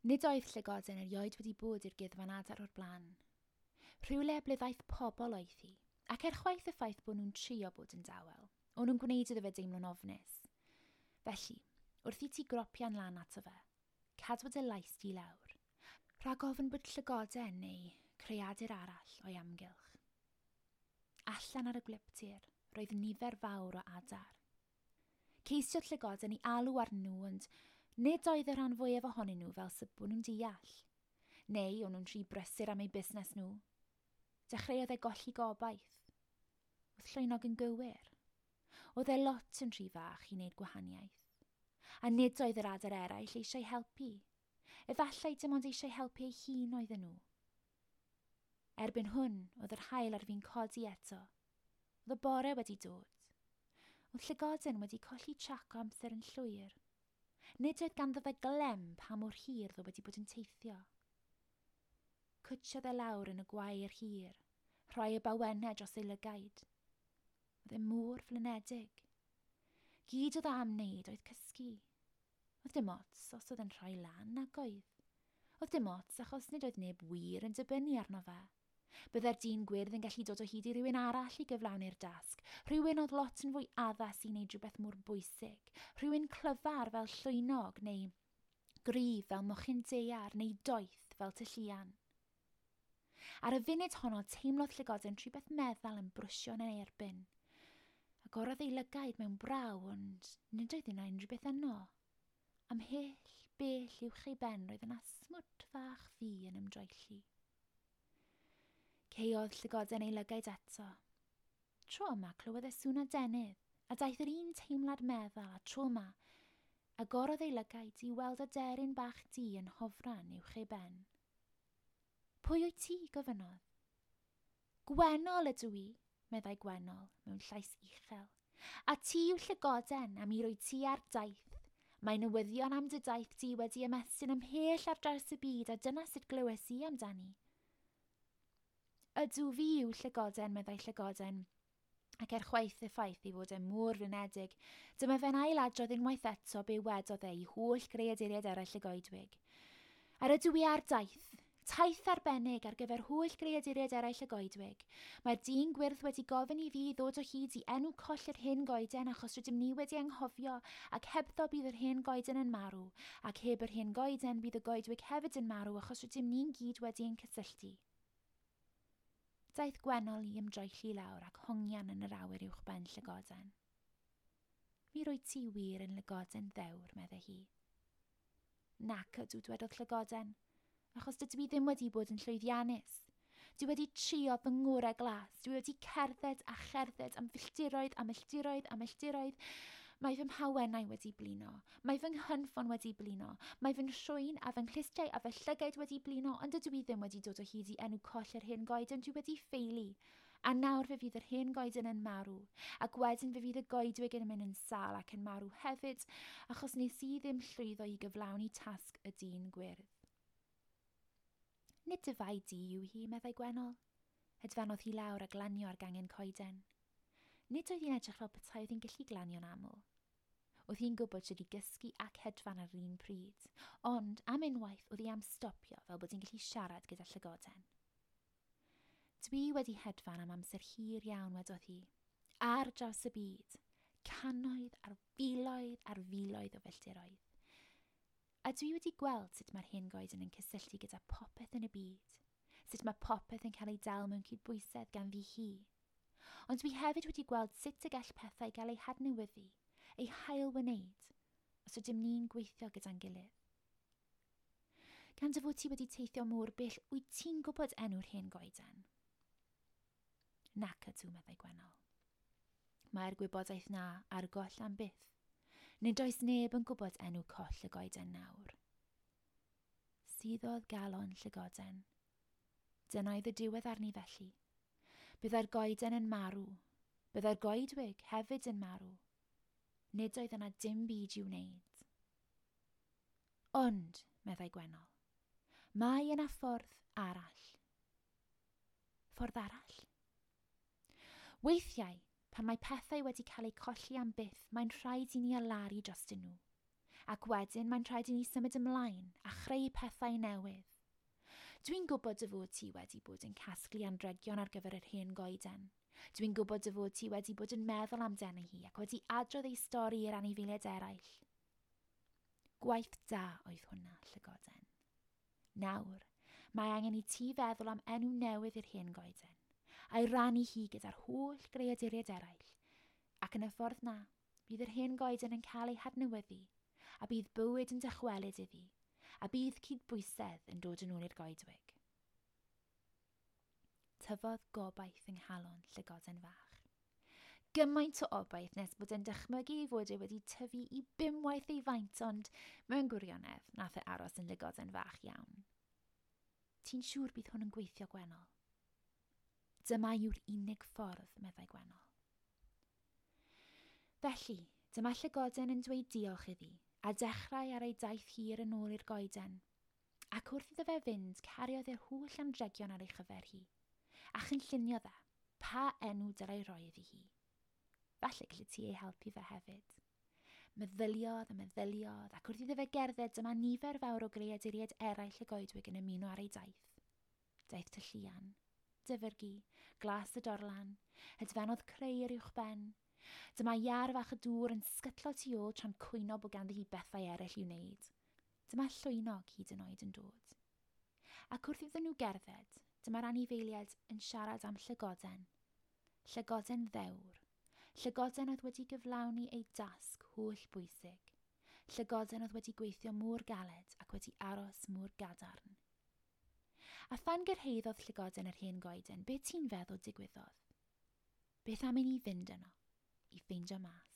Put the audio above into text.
Nid oedd llygoden erioed wedi bod i'r gyddfan adar o'r blaen. Rhywle ble ddaeth pobl oedd hi, ac er chwaith y ffaith bod nhw'n trio bod yn dawel, o'n nhw'n gwneud iddo fe deimlo'n ofnus. Felly, wrth i ti gropian lan ato fe, cadw dy lais di lawr, rhag ofn bod llygoden neu creadur arall o'i amgylch. Allan ar y gwlyptir, roedd nifer fawr o adar. Ceisiodd llygoden i alw arnyn nhw, ond nid oedd y rhan fwyaf ohonyn nhw fel sy bod nhw'n deall. Neu o'n nhw'n rhy brysur am eu busnes nhw. Dechreuodd e golli gobaith. Oedd llwynog yn gywir. Oedd e lot yn rhy fach i wneud gwahaniaeth. A nid oedd yr adar eraill eisiau helpu. Efallai dim ond eisiau helpu ei hun oedden nhw. Erbyn hwn, oedd yr haul ar fin codi eto. Oedd y bore wedi dod. Oedd llygoden wedi colli trac o amser yn llwyr. Nid oedd ganddo fe glem pa mor hir ddo wedi bod yn teithio. Cwtsiodd e lawr yn y gwair hir, rhoi y bawennau dros ei lygaid. Oedd e mor flinedig. Gyd oedd o am wneud oedd cysgu. Oedd dim ots os oedd yn rhoi lan nag oedd. Oedd dim ots achos nid oedd neb wir yn dibynnu arno fe. Byddai'r dyn gwyrdd yn gallu dod o hyd i rywun arall i gyflawni'r dasg, rhywun oedd lot yn fwy addas i wneud rhywbeth mor bwysig, rhywun clyfar fel llwynog neu gryf fel mochyn daear neu doeth fel tylluan. Ar y funud honno teimlodd llygoden rhywbeth meddal yn brwsio yn ei erbyn. Agorodd ei lygaid mewn braw, ond nid oedd yna unrhyw beth yno. Ymhell bell uwch ei ben roedd yna smwt fach ddu yn ymdroelli. Caeodd llygoden ei lygaid eto. Tro yma clywodd e sŵn adenydd, a daeth yr un teimlad meddal a tro yma agorodd ei lygaid i weld aderyn bach du yn hofran uwch ei ben. Pwy wyt ti? Gofynnodd. Gwennol ydw i, meddai Gwennol mewn llais uchel. A ti yw llygoden, a mi rwyt ti ar daith. Mae newyddion am dy daith di wedi ymestyn ymhell ar draws y byd, a dyna sut glywes i amdani. Ydw, fi yw llygoden, meddai llygoden, ac er chwaith y ffaith ei fod e mor flinedig, dyma fe'n ailadrodd unwaith eto be wedodd e i holl greaduriaid eraill y goedwig. Ar ydw i ar daith, taith arbennig ar gyfer holl greaduriaid eraill y goedwig. Mae'r dyn gwyrdd wedi gofyn i fi ddod o hyd i enw coll yr hen goeden achos rydym ni wedi anghofio ac hebddo bydd yr hen goeden yn marw, ac heb yr hen goeden bydd y goedwig hefyd yn marw achos rydym ni'n gyd wedi ein cysylltu. Daeth Gwennol i ymdroelli lawr ac hongian yn yr awyr uwch ben llygoden. Mi rwyt ti wir yn lygoden ddewr, meddai hi. Nac ydw, dwedodd llygoden, achos dydw i ddim wedi bod yn llwyddiannus. Dwi wedi trio fy ngorau glas, dwi wedi cerdded a cherdded am filltiroedd a milltiroedd a milltiroedd. Mae fy mhawennau wedi blino, mae fy nghynffon wedi blino, mae fy nhrwyn a fy nghlustiau a fy llygaid wedi blino, ond dydw i ddim wedi dod o hyd i enw coll yr hen goeden, dwi wedi ffeili. A nawr fe fydd yr hen goeden yn marw, ac wedyn fe fydd y goedwig yn mynd yn sâl ac yn marw hefyd, achos nes i ddim llwyddo i gyflawni tasg y dyn gwyrdd. Nid dy fai di yw hi, meddai Gwennol. Hedfanodd hi lawr a glanio ar gangen coeden. Nid oedd hi'n edrych fel petai oedd hi'n gallu glanio'n aml. Oedd hi'n gwybod sut i gysgu ac hedfan ar yr un pryd, ond am unwaith oedd hi am stopio fel bod hi'n gallu siarad gyda llygoden. Dwi wedi hedfan am amser hir iawn, wedodd hi, ar draws y byd, cannoedd ar filoedd ar filoedd o filltiroedd. A dwi wedi gweld sut mae'r hen goeden yn cysylltu gyda popeth yn y byd, sut mae popeth yn cael ei dal mewn cydbwysedd gan fi hi. Ond dwi hefyd wedi gweld sut y gall pethau gael eu hadnewyddu, eu hail-wneud, os ydym ni'n gweithio gyda'n gilydd. Gan dy fod ti wedi teithio mor bell, wyt ti'n gwybod enw'r hen goeden? Nac ydw, meddai Gwennol. Mae'r gwybodaeth na ar goll am byth. Nid oes neb yn gwybod enw coll y goeden nawr. Suddodd galon llygoden. Dyna oedd y diwedd arni felly. Byddai'r goeden yn marw. Byddai'r goedwig hefyd yn marw. Nid oedd yna dim byd i'w wneud. Ond, meddai Gwennol, mae yna ffordd arall. Ffordd arall? Weithiau, pan mae pethau wedi cael eu colli am byth, mae'n rhaid i ni alaru drostyn nhw. Ac wedyn mae'n rhaid i ni symud ymlaen a chreu pethau newydd. Dwi'n gwybod dy fod ti wedi bod yn casglu anregion ar gyfer yr hen goeden. Dwi'n gwybod dy fod ti wedi bod yn meddwl amdani hi ac wedi adrodd ei stori i'r anifeiliaid eraill. Gwaith da oedd hwnna, llygoden. Nawr, mae angen i ti feddwl am enw newydd i'r hen goeden, a'i rannu hi gyda'r holl greaduriaid eraill, ac yn y ffordd na, bydd yr hen goeden yn cael ei hadnewyddu, a bydd bywyd yn dychwelyd iddi, a bydd cydbwysedd yn dod yn ôl i'r goedwig. Tyfodd gobaith yng nghalon llygoden fach. Gymaint o obaith nes bod e'n dychmygu ei fod e wedi tyfu i bumwaith ei faint, ond mewn gwirionedd nath e aros yn lygoden fach iawn. Ti'n siŵr bydd hwn yn gweithio, Gwennol? Dyma yw'r unig ffordd, meddai Gwennol. Felly, dyma llygoden yn dweud diolch iddi, a dechrau ar ei daith hir yn ôl i'r goeden. Ac wrth iddo fe fynd, cariodd e'r holl anregion ar ei chyfer hi, a chynlluniodd e pa enw dylai roi iddi hi. Falle gallu ti ei helpu fe hefyd. Meddyliodd a meddyliodd, ac wrth iddo fe gerdded dyma nifer fawr o greaduriaid eraill y goedwig yn ymuno ar ei daith. Daeth Tylluan, Dyfrgi, Glas y Dorlan, hedfanodd Creu'r uwchben. Dyma iar fach y dŵr yn sgytlo tu ôl tra'n cwyno bod ganddi hi bethau eraill i'w wneud. Dyma llwynog hyd yn oed yn dod. Ac wrth iddyn nhw gerdded, dyma'r anifeiliaid yn siarad am llygoden. Llygoden ddewr. Llygoden oedd wedi gyflawni ei dasg holl bwysig. Llygoden oedd wedi gweithio mor galed ac wedi aros mor gadarn. A phan gyrhaeddodd llygoden yr hen goeden, be ti'n feddwl digwyddodd? Beth am i ni fynd yno i ffeindio mas?